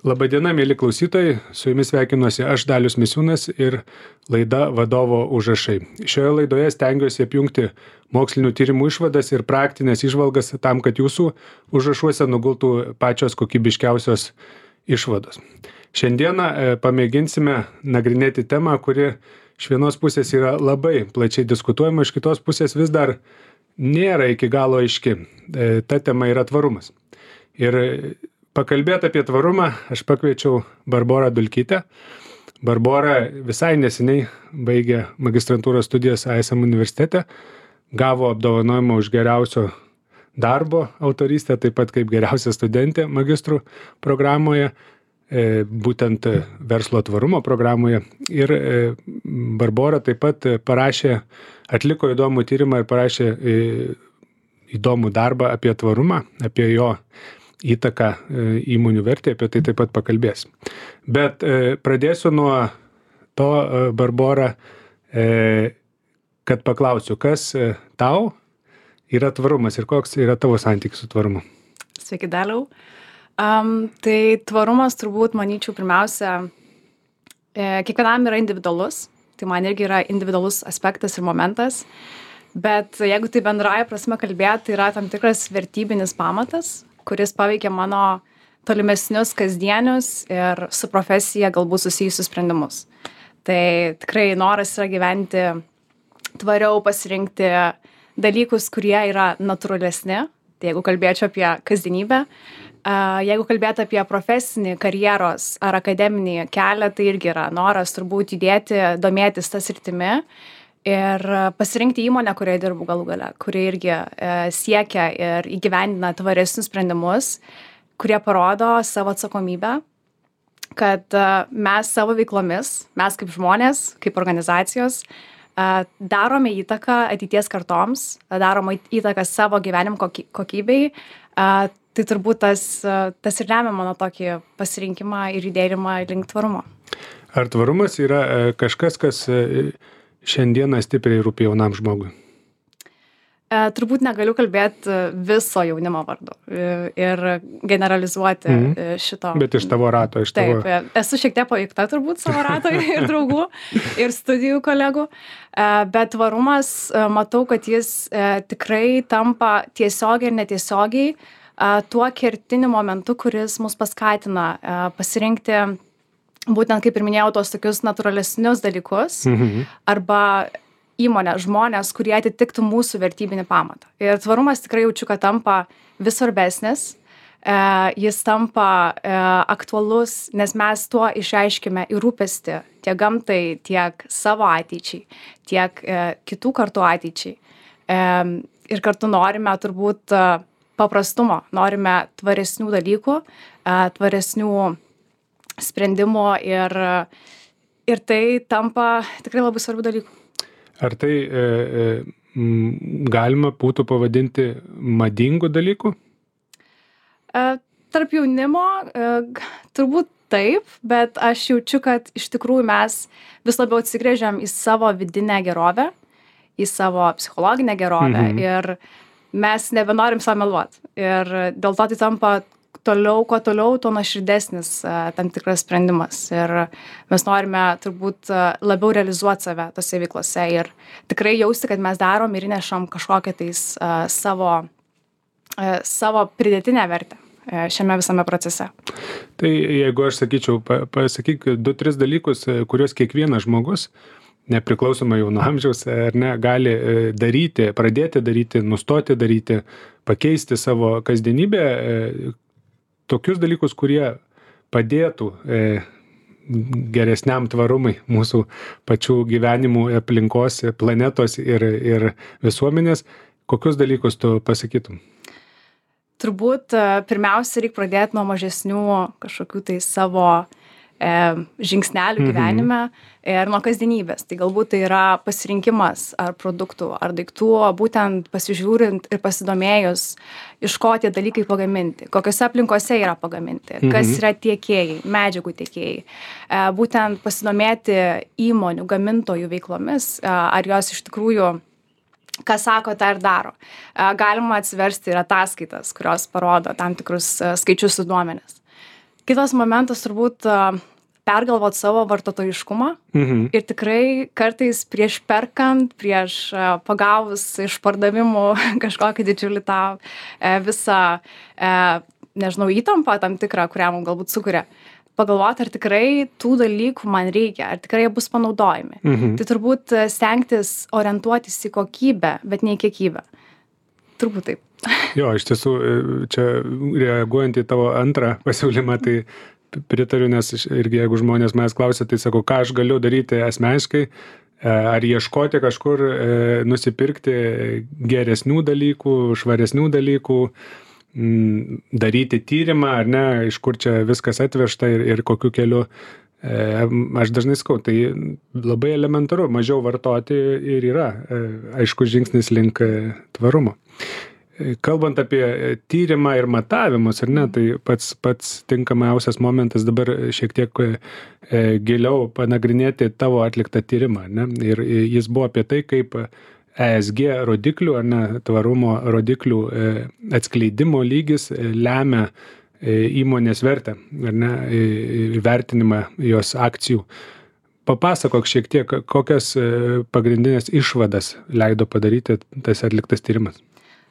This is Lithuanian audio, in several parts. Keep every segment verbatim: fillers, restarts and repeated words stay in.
Labadiena, mėly klausytojai, su jumis sveikinuosi aš Dalius Misiūnas ir laida Vadovo užrašai. Šioje laidoje stengiuosi apjungti mokslinių tyrimų išvadas ir praktinės įžvalgas tam, kad jūsų užrašuose nugultų pačios kokybiškiausios išvados. Šiandieną e, pamėginsime nagrinėti temą, kuri iš vienos pusės yra labai plačiai diskutuojama, iš kitos pusės vis dar nėra iki galo aiški. E, ta tema yra tvarumas. Ir pakalbėti apie tvarumą aš pakviečiau Barborą Dulkytę. Barbora visai neseniai baigė magistrantūros studijas I S M universitete, gavo apdovanojimą už geriausio darbo autorystę, taip pat kaip geriausia studentė magistrų programoje, e, būtent verslo tvarumo programoje. Ir e, Barbora taip pat parašė, atliko įdomų tyrimą ir parašė e, įdomų darbą apie tvarumą, apie jo įtaką įmonių vertė, apie tai taip pat pakalbės. Bet e, pradėsiu nuo to, e, Barbora, e, kad paklausiu, kas e, tau yra tvarumas ir koks yra tavo santykis su tvarumu? Sveiki, Daliau. Um, tai tvarumas turbūt, manyčiau, pirmiausia, e, kiekvienam yra individualus, tai man irgi yra individualus aspektas ir momentas, bet jeigu tai bendraja prasme kalbėti, tai yra tam tikras vertybinis pamatas, kuris paveikia mano tolimesnius kasdienius ir su profesija galbūt susijusius sprendimus. Tai tikrai noras yra gyventi tvariau, pasirinkti dalykus, kurie yra natūralesni. Tai jeigu kalbėčiau apie kasdienybę, jeigu kalbėtų apie profesinį karjeros ar akademinį kelią, tai irgi yra noras turbūt judėti, domėtis tą sritimi ir pasirinkti įmonę, kurioje dirbu galų gale, kurie irgi e, siekia ir įgyvendina tvaresnius sprendimus, kurie parodo savo atsakomybę, kad e, mes savo veiklomis, mes kaip žmonės, kaip organizacijos, e, darome įtaką ateities kartoms, darome įtaką savo gyvenimo kokybei. E, tai turbūt tas, tas ir lemia mano tokį pasirinkimą ir judėjimą link tvarumo. Ar tvarumas yra e, kažkas, kas e, šiandieną stipriai rūpi jaunam žmogui? E, turbūt negaliu kalbėti viso jaunimo vardu ir generalizuoti mm-hmm. šito. Bet iš tavo rato, iš tavo... Taip, esu šiek tiek paveikta turbūt savo rato ir draugų, ir studijų kolegų, e, bet tvarumas, e, matau, kad jis e, tikrai tampa tiesiogiai ir netiesiogiai e, tuo kertiniu momentu, kuris mus paskatina e, pasirinkti būtent, kaip ir minėjau, tos tokius natūralesnius dalykus, mhm. arba įmonę, žmonės, kurie atitiktų mūsų vertybinį pamatą. Ir tvarumas tikrai jaučiu, kad tampa vis svarbesnis, e, jis tampa e, aktualus, nes mes tuo išreiškime ir rūpestį tiek gamtai, tiek savo ateičiai, tiek e, kitų kartų ateičiai. E, ir kartu norime turbūt e, paprastumo, norime tvaresnių dalykų, e, tvaresnių sprendimo ir, ir tai tampa tikrai labai svarbių dalykų. Ar tai e, e, galima būtų pavadinti madingų dalykų? E, tarp jaunimo e, turbūt taip, bet aš jaučiu, kad iš tikrųjų mes vis labiau atsigrėžiam į savo vidinę gerovę, į savo psichologinę gerovę mhm. ir mes nebenorim savo meluoti. Ir dėl to tai tampa toliau, kuo toliau, tuo nuoširdesnis uh, tam tikras sprendimas. Ir mes norime turbūt uh, labiau realizuoti save tose veiklose ir tikrai jausti, kad mes darom ir įnešam kažkokią tais uh, savo, uh, savo pridėtinę vertę uh, šiame visame procese. Tai jeigu aš sakyčiau, pa, pasakyk du, tris dalykus, kuriuos kiekvienas žmogus, nepriklausomai jau nuo amžiaus, ar ne, gali daryti, pradėti daryti, nustoti daryti, pakeisti savo kasdienybę, tokius dalykus, kurie padėtų e, geresniam tvarumui mūsų pačių gyvenimų, aplinkos, planetos ir, ir visuomenės. Kokius dalykus tu pasakytum? Turbūt pirmiausia, reikia pradėti nuo mažesnių kažkokių tai savo e, žingsnelių mhm. gyvenime ir nuo kasdienybės. Tai galbūt tai yra pasirinkimas ar produktų, ar daiktų, būtent pasižiūrint ir pasidomėjus, iš ko tie dalykai pagaminti, kokiose aplinkose yra pagaminti, mhm. kas yra tiekėjai, medžiagų tiekėjai. E, būtent pasidomėti įmonių, gamintojų veiklomis, e, ar jos iš tikrųjų ką sako, tą ir daro. Galima atsiversti ir ataskaitas, kurios parodo tam tikrus skaičius ir duomenis. Kitas momentas turbūt pergalvot savo vartotojiškumą Mhm. ir tikrai kartais prieš perkant, prieš pagavus iš pardavimų kažkokį didžiulį tą visą, nežinau, įtampą tam tikrą, kurią mums galbūt sukuria, pagalvoti, ar tikrai tų dalykų man reikia, ar tikrai jie bus panaudojami. Mhm. Tai turbūt stengtis orientuotis į kokybę, bet ne į kiekybę. Turbūt taip. Jo, iš tiesų, čia reaguojant į tavo antrą pasiūlymą, tai pritariu, nes irgi jeigu žmonės manęs klausia, tai sakau, ką aš galiu daryti asmeniškai, ar ieškoti kažkur, nusipirkti geresnių dalykų, švaresnių dalykų, daryti tyrimą, ar ne, iš kur čia viskas atvežta ir, ir kokiu keliu. Aš dažnai sakau, tai labai elementaru, mažiau vartoti ir yra, aišku, žingsnis link tvarumo. Kalbant apie tyrimą ir matavimus, ar ne, tai pats, pats tinkamiausias momentas dabar šiek tiek giliau panagrinėti tavo atliktą tyrimą, ne, ir jis buvo apie tai, kaip E S G rodiklių, ar ne, tvarumo rodiklių atskleidimo lygis lemia įmonės vertę, ar ne, vertinimą jos akcijų. Papasakok šiek tiek, kokias pagrindinės išvadas leido padaryti tas atliktas tyrimas.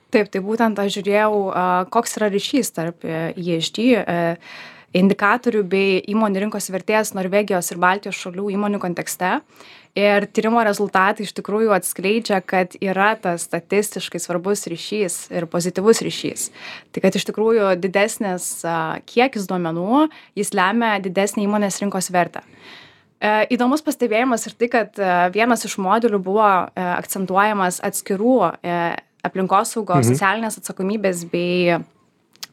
Taip, tai būtent aš žiūrėjau, koks yra ryšys tarp E S G indikatorių bei įmonių rinkos vertės Norvegijos ir Baltijos šalių įmonių kontekste. Ir tyrimo rezultatai iš tikrųjų atskleidžia, kad yra tas statistiškai svarbus ryšys ir pozityvus ryšys. Tai kad iš tikrųjų didesnis kiekis duomenų, jis lemia didesnį įmonės rinkos vertę. Įdomus pastebėjimas ir tai, kad vienas iš modelių buvo akcentuojamas atskirų aplinkosaugos, mhm. socialinės atsakomybės bei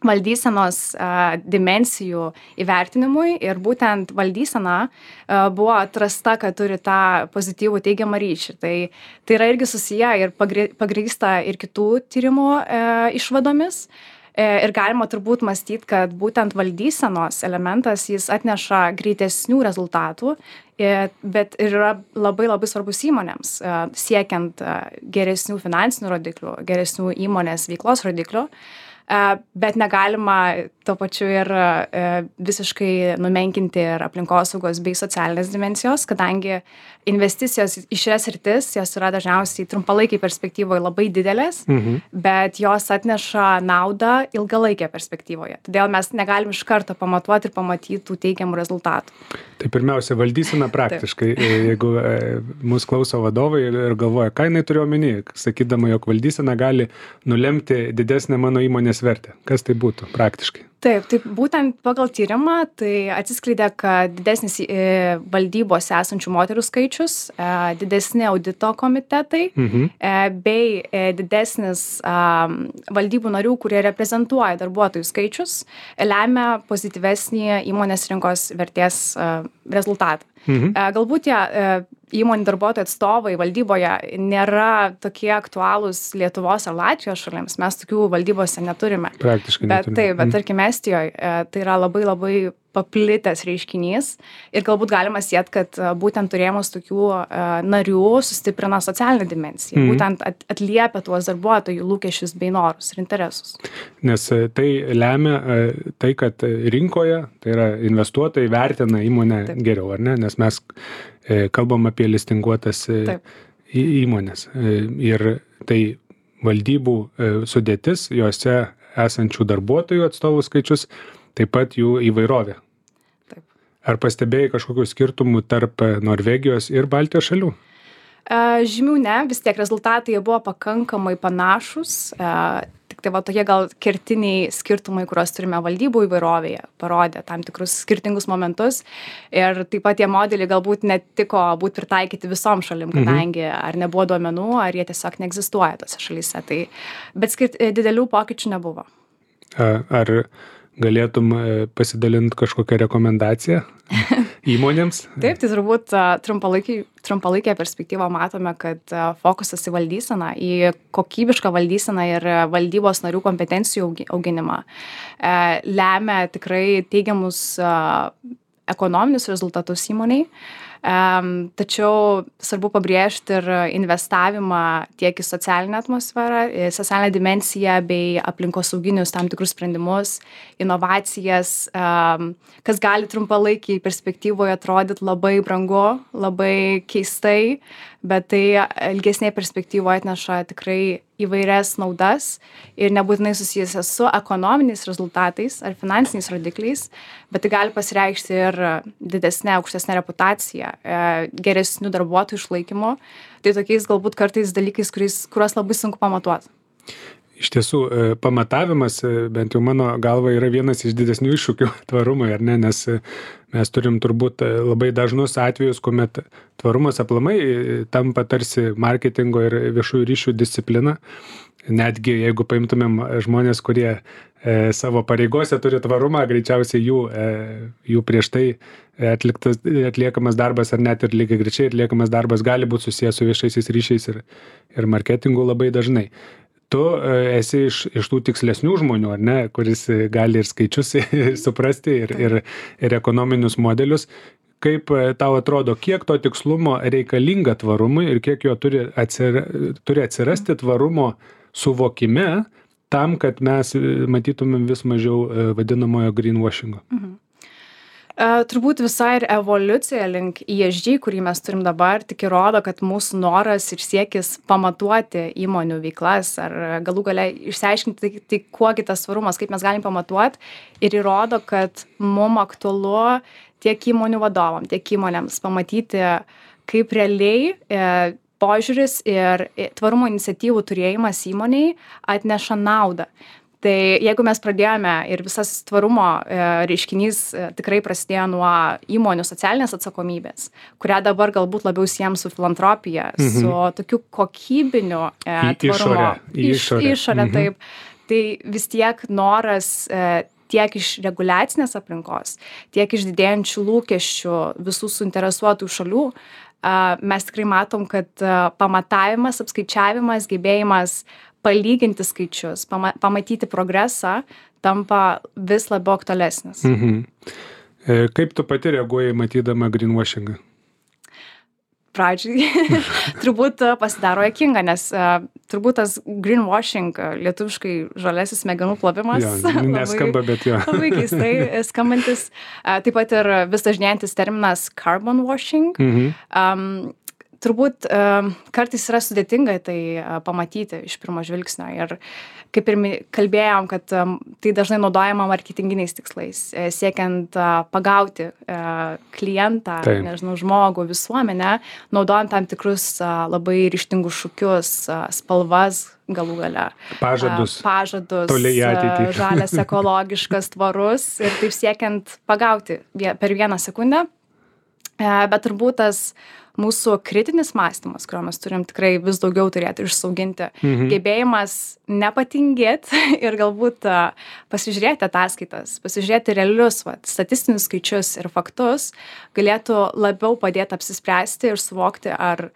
valdysenos a, dimensijų įvertinimui ir būtent valdysena a, buvo atrasta, kad turi tą pozityvų teigiamą ryšį. Tai, tai yra irgi susiję ir pagrįsta ir kitų tyrimų e, išvadomis. E, ir galima turbūt mąstyti, kad būtent valdysenos elementas jis atneša greitesnių rezultatų, e, bet ir yra labai labai svarbus įmonėms, e, siekiant e, geresnių finansinių rodiklių, geresnių įmonės veiklos rodiklių. Bet negalima tuo pačiu ir visiškai numenkinti ir aplinkosaugos bei socialinės dimensijos, kadangi investicijos į šias sritis, jos yra dažniausiai trumpalaikiai perspektyvoje labai didelės, mhm. bet jos atneša naudą ilgalaikėje perspektyvoje. Todėl mes negalim iš karto pamatuoti ir pamatyti tų teigiamų rezultatų. Tai pirmiausia, valdysena praktiškai, jeigu mūsų klauso vadovai ir galvoja, ką jinai turiu omeny, sakydama, jog valdysena gali nulemti didesnę mano įmonės vertę. Kas tai būtų praktiškai? Taip, taip, būtent pagal tyrimą tai atsiskleidė, kad didesnis valdybose esančių moterų skaičius, didesni audito komitetai, mhm. bei didesnis valdybų narių, kurie reprezentuoja darbuotojų skaičius, lemia pozityvesnį įmonės rinkos vertės rezultatą. Mhm. Galbūt tie įmonių darbuotojų atstovai valdyboje nėra tokie aktualūs Lietuvos ar Latvijos šalims, mes tokių valdybose neturime. Praktiškai bet, neturime. Taip, bet tarkim Estijoje tai yra labai labai paplitęs reiškinys ir galbūt galima siet, kad būtent turėjimas tokių narių sustiprina socialinę dimensiją, mm. būtent atliepia tuos darbuotojų lūkesčius bei norus ir interesus. Nes tai lemia tai, kad rinkoje, tai yra investuotojai vertina įmonę Taip. Geriau, ar ne? Nes mes kalbam apie listinguotas Taip. Įmonės ir tai valdybų sudėtis, juose esančių darbuotojų atstovų skaičius, taip pat jų įvairovė. Taip. Ar pastebėjai kažkokių skirtumų tarp Norvegijos ir Baltijos šalių? Žymių ne, vis tiek rezultatai buvo pakankamai panašus. Tik tai va tokie gal kertiniai skirtumai, kuriuos turime valdybų įvairovėje, parodė tam tikrus skirtingus momentus. Ir taip pat tie modeliai galbūt netiko būt pritaikyti visom šalim, kadangi mhm. ar nebuvo duomenų, ar jie tiesiog neegzistuoja tose šalyse. Tai, bet skirt, didelių pokyčių nebuvo. Ar galėtum pasidalinti kažkokią rekomendaciją įmonėms? Taip, tai turbūt trumpalaikėje perspektyvoje matome, kad fokusas į valdyseną, į kokybišką valdyseną ir valdybos narių kompetencijų auginimą lemia tikrai teigiamus ekonominius rezultatus įmoniai. Tačiau svarbu pabrėžti ir investavimą tiek į socialinę atmosferą, į socialinę dimensiją bei aplinkosauginius tam tikrus sprendimus, inovacijas, kas gali trumpalaikiai perspektyvoje atrodyti labai brangu, labai keistai, bet tai ilgesnėje perspektyvoje atneša tikrai įvairias naudas ir nebūtinai susijusias su ekonominiais rezultatais ar finansiniais rodikliais, bet tai gali pasireikšti ir didesnė, aukštesnė reputacija, geresnių darbuotojų išlaikymo. Tai tokiais galbūt kartais dalykais, kuriais, kuriuos labai sunku pamatuoti. Iš tiesų, pamatavimas, bent jau mano galva, yra vienas iš didesnių iššūkių tvarumui, ar ne, nes mes turim turbūt labai dažnus atvejus, kuomet tvarumas aplamai tampa tarsi marketingo ir viešųjų ryšių disciplina. Netgi jeigu paimtumėm žmonės, kurie e, savo pareigose turi tvarumą, greičiausiai jų, e, jų prieš tai atliktas, atliekamas darbas ar net ir lygiai greičiai atliekamas darbas gali būti susijęs su viešaisiais ryšiais ir, ir marketingu labai dažnai. Tu esi iš, iš tų tikslesnių žmonių, ar ne, kuris gali ir skaičius suprasti, ir, ir, ir ekonominius modelius. Kaip tau atrodo, kiek to tikslumo reikalinga tvarumui ir kiek jo turi, atsira, turi atsirasti tvarumo suvokime tam, kad mes matytumėm vis mažiau vadinamojo greenwashingo? Mhm. Uh, turbūt visai ir evoliucija link E S G, kurį mes turim dabar, tik įrodo, kad mūsų noras ir siekis pamatuoti įmonių veiklas ar galų gale išsiaiškinti, tai, tai kuogi tas svarumas, kaip mes galim pamatuoti, ir įrodo, kad mum aktualu tiek įmonių vadovam, tiek įmonėms pamatyti, kaip realiai e, požiūris ir tvarumo iniciatyvų turėjimas įmoniai atneša naudą. Tai jeigu mes pradėjome ir visas tvarumo e, reiškinys e, tikrai prasidėjo nuo įmonių socialinės atsakomybės, kurią dabar galbūt labiau siejam su filantropija, mhm. su tokiu kokybiniu e, tvarumo. Į išorę. Iš, išorę, mhm. taip. Tai vis tiek noras e, tiek iš reguliacinės aplinkos, tiek iš didėjančių lūkesčių visų suinteresuotų šalių, e, mes tikrai matom, kad e, pamatavimas, apskaičiavimas, gebėjimas palyginti skaičius, pama, pamatyti progresą, tampa vis labiau aktualesnis. Mhm. E, kaip tu pati reaguoji matydama greenwashingą? Pradžiai turbūt pasidaro juokinga, nes uh, turbūt tas greenwashing, lietuviškai žalesis smegenų plovimas, jo, neskamba, bet jo. labai keistai skambantis. Uh, taip pat ir vis dažnėjantis terminas carbon washing. Mhm. Um, Turbūt um, kartais yra sudėtinga tai uh, pamatyti iš pirmo žvilgsnio ir kaip ir kalbėjom, kad um, tai dažnai naudojama marketinginiais tikslais, e, siekiant uh, pagauti uh, klientą, tai. nežinau, žmogų, visuomenę, naudojant tam tikrus uh, labai ryžtingus šūkius, uh, spalvas galų gale. Pažadus. Uh, pažadus, toliai į ateitį. Uh, žalias, ekologiškas, tvarus ir taip siekiant pagauti vie, per vieną sekundę. Uh, bet turbūt tas mūsų kritinis mąstymas, kurio mes turim tikrai vis daugiau turėti išsauginti, mhm. gebėjimas nepatingėti ir galbūt uh, pasižiūrėti ataskaitas, pasižiūrėti realius vat, statistinius skaičius ir faktus, galėtų labiau padėti apsispręsti ir suvokti, ar,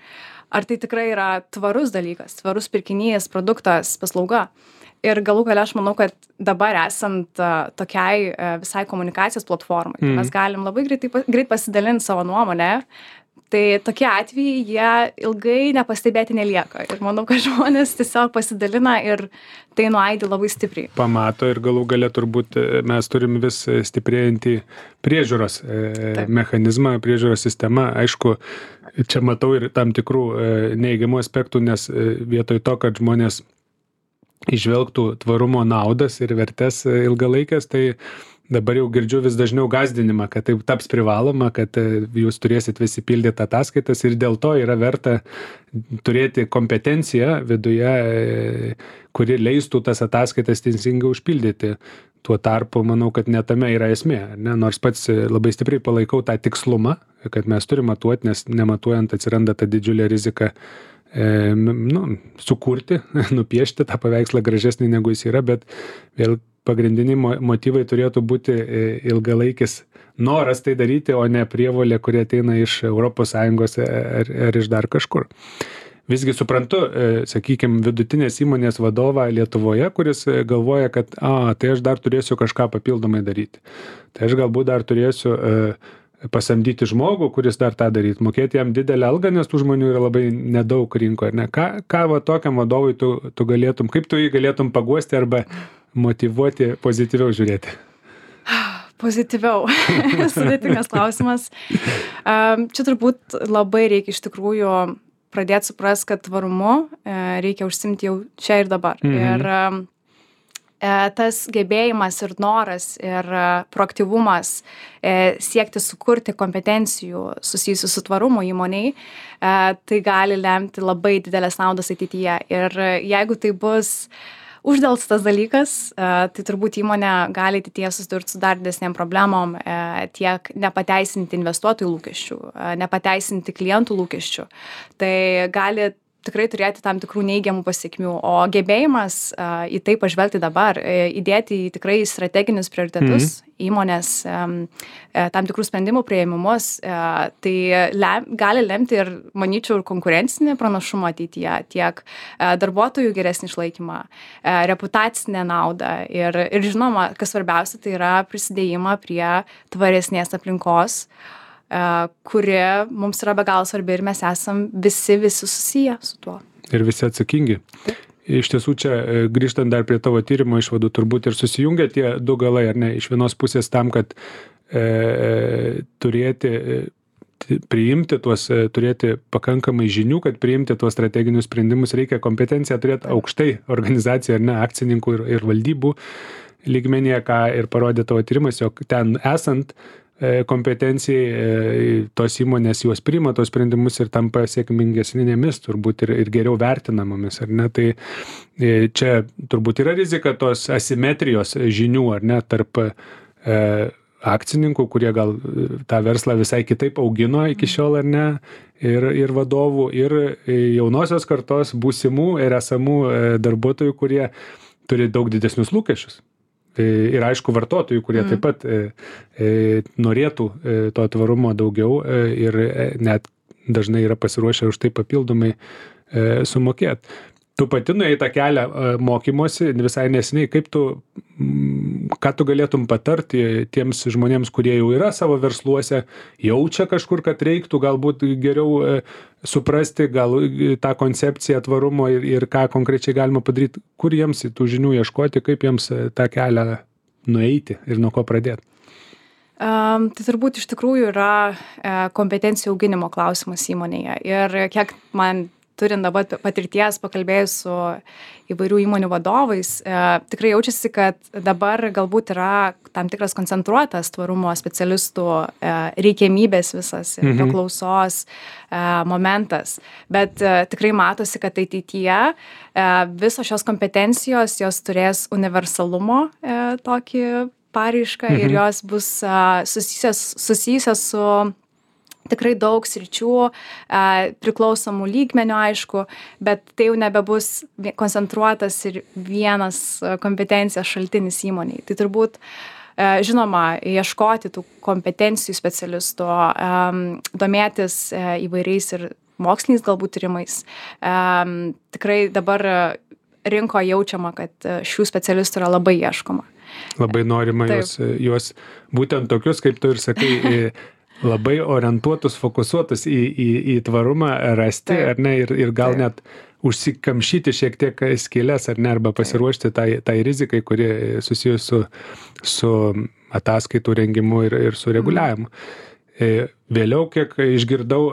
ar tai tikrai yra tvarus dalykas, tvarus pirkinys, produktas, paslauga. Ir galų gale aš manau, kad dabar esant uh, tokiai uh, visai komunikacijos platformai, mm. mes galim labai greitai, greit pasidalinti savo nuomonę. Tai tokie atvejai, jie ilgai nepastebėti nelieka. Ir manau, kad žmonės tiesiog pasidalina ir tai nuaidi labai stipriai. Pamato ir galų gale turbūt mes turim vis stiprėjantį priežiūros Taip. mechanizmą, priežiūros sistemą. Aišku, čia matau ir tam tikrų neigiamų aspektų, nes vietoj to, kad žmonės išvelgtų tvarumo naudas ir vertės ilgalaikės, tai dabar jau girdžiu vis dažniau gąsdinimą, kad tai taps privaloma, kad jūs turėsit visi pildyti ataskaitas ir dėl to yra verta turėti kompetenciją viduje, kuri leistų tas ataskaitas teisingai užpildyti. Tuo tarpu, manau, kad ne tame yra esmė, ne? Nors pats labai stipriai palaikau tą tikslumą, kad mes turime matuoti, nes nematuojant atsiranda ta didžiulė rizika e, nu, sukurti, nupiešti tą paveikslą gražesnį negu jis yra, bet vėl pagrindiniai motyvai turėtų būti ilgalaikis noras tai daryti, o ne prievolė, kurie ateina iš Europos Sąjungos ar, ar iš dar kažkur. Visgi suprantu, sakykime, vidutinės įmonės vadovą Lietuvoje, kuris galvoja, kad a, tai aš dar turėsiu kažką papildomai daryti. Tai aš galbūt dar turėsiu pasamdyti žmogų, kuris dar tą daryt, mokėti jam didelę algą, nes tų žmonių yra labai nedaug rinkoje, ar ne? Ką, ką va tokiam vadovui tu, tu galėtum, kaip tu jį galėtum paguosti arba motyvuoti pozityviau žiūrėti? Pozityviau. Sudėtingas klausimas. Čia turbūt labai reikia iš tikrųjų pradėti suprasti, kad tvarumu reikia užsimti jau čia ir dabar. Mhm. Ir tas gebėjimas ir noras ir proaktyvumas siekti sukurti kompetencijų susijusių su tvarumu įmonei, tai gali lemti labai didelės naudas ateityje. Ir jeigu tai bus uždelstas dalykas, tai turbūt įmonė gali ateityje susidurti su dar didesnėm problemom, tiek nepateisinti investuotojų lūkesčių, nepateisinti klientų lūkesčių. Tai gali tikrai turėti tam tikrų neigiamų pasekmių, o gebėjimas uh, į tai pažvelgti dabar, įdėti į tikrai strateginius prioritetus mm. įmonės um, tam tikrų sprendimų priėmimus, uh, tai lem, gali lemti ir, manyčiau, ir konkurencinį pranašumą ateityje, tiek uh, darbuotojų geresnį išlaikymą, uh, reputacinę naudą ir, ir žinoma, kas svarbiausia, tai yra prisidėjimą prie tvaresnės aplinkos, kuri mums yra be galo svarbi ir mes esam visi, visi susiję su tuo. Ir visi atsakingi. Taip. Iš tiesų čia, grįžtant dar prie tavo tyrimo išvadų, turbūt ir susijungia tie du galai, ar ne? Iš vienos pusės tam, kad e, turėti, e, priimti tuos, e, turėti pakankamai žinių, kad priimti tuos strateginius sprendimus, reikia kompetenciją turėti aukštai organizaciją, ar ne, akcininkų ir, ir valdybų lygmenyje, ką ir parodė tavo tyrimas, jog ten esant kompetencijai tos įmonės juos priima tos sprendimus ir tampa sėkmingesnėmis, turbūt ir, ir geriau vertinamomis, ar ne? Tai čia turbūt yra rizika tos asimetrijos žinių, ar ne, tarp e, akcininkų, kurie gal tą verslą visai kitaip augino iki šiol, ar ne, ir, ir vadovų, ir jaunosios kartos būsimų ir esamų darbuotojų, kurie turi daug didesnius lūkesčius. Ir aišku, vartotojų, kurie mm. taip pat e, e, norėtų e, to tvarumo daugiau e, ir e, net dažnai yra pasiruošę už tai papildomai e, sumokėti. Tu pati nuėjai tą kelią e, mokymosi visai nesiniai, kaip tu, m, ką tu galėtum patarti tiems žmonėms, kurie jau yra savo versluose, jaučia kažkur, kad reiktų galbūt geriau e, suprasti gal tą koncepciją tvarumo ir, ir ką konkrečiai galima padaryti, kur jiems tų žinių ieškoti, kaip jiems tą kelią nueiti ir nuo ko pradėti? Um, tai turbūt iš tikrųjų yra e, kompetencijų auginimo klausimas įmonėje. Ir kiek man turint dabar patirties, pakalbėjus su įvairių įmonių vadovais, e, tikrai jaučiasi, kad dabar galbūt yra tam tikras koncentruotas tvarumo specialistų e, reikiamybės visas, mhm. paklausos e, momentas. Bet e, tikrai matosi, kad ateityje e, visos šios kompetencijos, jos turės universalumo e, tokį paraišką mhm. ir jos bus e, susijusios, susijusios su tikrai daug sričių, priklausomų lygmenių, aišku, bet tai jau nebebus koncentruotas ir vienas kompetencijos šaltinis įmoniai. Tai turbūt, žinoma, ieškoti tų kompetencijų specialistų, domėtis įvairiais ir moksliniais galbūt tyrimais. Tikrai dabar rinko jaučiama, kad šių specialistų yra labai ieškoma. Labai norima juos, juos būtent tokius, kaip tu ir sakai, labai orientuotus, fokusuotus į, į, į tvarumą rasti, Taip. Ar ne, ir, ir gal Taip. Net užsikamšyti šiek tiek skylės, ar ne, arba pasiruošti tai, tai rizikai, kuri susijus su, su ataskaitų rengimu ir, ir su reguliavimu. Mm. Vėliau, kiek išgirdau,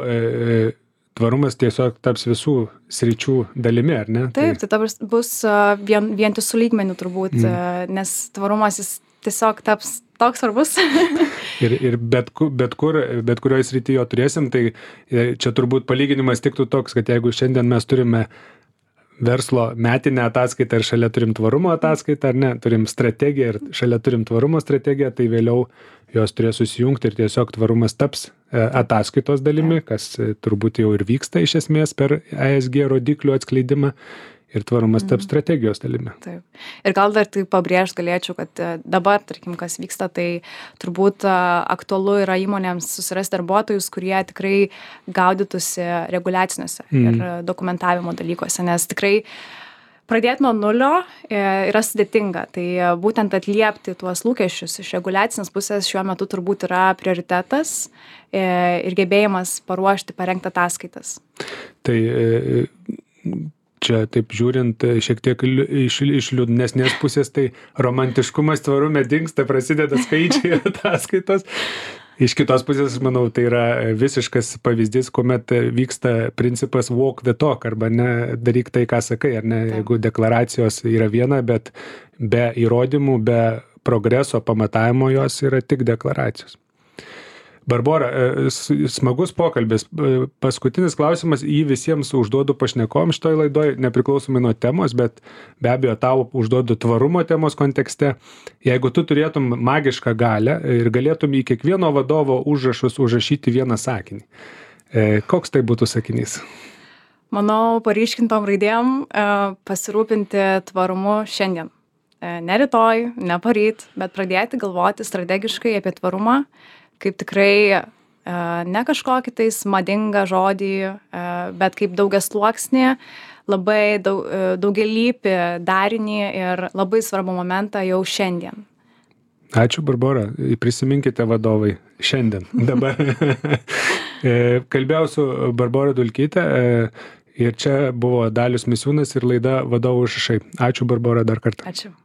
tvarumas tiesiog taps visų sričių dalimi, ar ne? Taip, tai, tai bus vien, vientisų lygmenių turbūt, mm. nes tvarumas jis tiesiog taps toks svarbus. ir ir bet, bet, kur, bet kurioje srityje jo turėsim, tai čia turbūt palyginimas tiktų toks, kad jeigu šiandien mes turime verslo metinę ataskaitą ir šalia turim tvarumo ataskaitą, ar ne, turim strategiją ir šalia turim tvarumo strategiją, tai vėliau jos turės susijungti ir tiesiog tvarumas taps ataskaitos dalimi, kas turbūt jau ir vyksta iš esmės per E S G rodiklių atskleidimą. Ir tvarumas taps strategijos dalimi. Taip. Ir gal dar tai pabrėžti galėčiau, kad dabar, tarkim, kas vyksta, tai turbūt aktualu yra įmonėms susirasti darbuotojus, kurie tikrai gaudytųsi reguliaciniuose mm. ir dokumentavimo dalykuose, nes tikrai Pradėti nuo nulio e, yra sudėtinga, tai e, būtent atliepti tuos lūkesčius iš reguliacinės pusės šiuo metu turbūt yra prioritetas e, ir gebėjimas paruošti, parengti ataskaitas. Tai e, čia taip žiūrint e, šiek tiek liu- iš, iš liūdnesnės pusės, tai romantiškumas tvarume dingsta, prasideda skaičiai ir ataskaitos. Iš kitos pusės, aš manau, tai yra visiškas pavyzdys, kuomet vyksta principas walk the talk, arba ne daryk tai, ką sakai, ar ne, jeigu deklaracijos yra viena, bet be įrodymų, be progreso pamatavimo jos yra tik deklaracijos. Barbora, e, s- smagus pokalbis. E, Paskutinis klausimas, jį visiems užduodu pašnekom šitoj laidoj, nepriklausomai nuo temos, bet be abejo tau užduodu tvarumo temos kontekste. Jeigu tu turėtum magišką galią ir galėtum į kiekvieno vadovo užrašus užrašyti vieną sakinį, e, koks tai būtų sakinys? Manau, paryškintom raidėm e, pasirūpinti tvarumu šiandien. E, Ne rytoj, ne poryt, bet pradėti galvoti strategiškai apie tvarumą, kaip tikrai e, ne kažkokį tais madingą žodį, e, bet kaip daugiasluoksnį, labai daug, e, daugialypį darinį ir labai svarbų momentą jau šiandien. Ačiū, Barbora. Prisiminkite vadovai šiandien, dabar. E, Kalbėjau su Barbora Dulkyte e, ir čia buvo Dalius Misiūnas ir laida Vadovų užrašai. Ačiū, Barbora, dar kartą. Ačiū.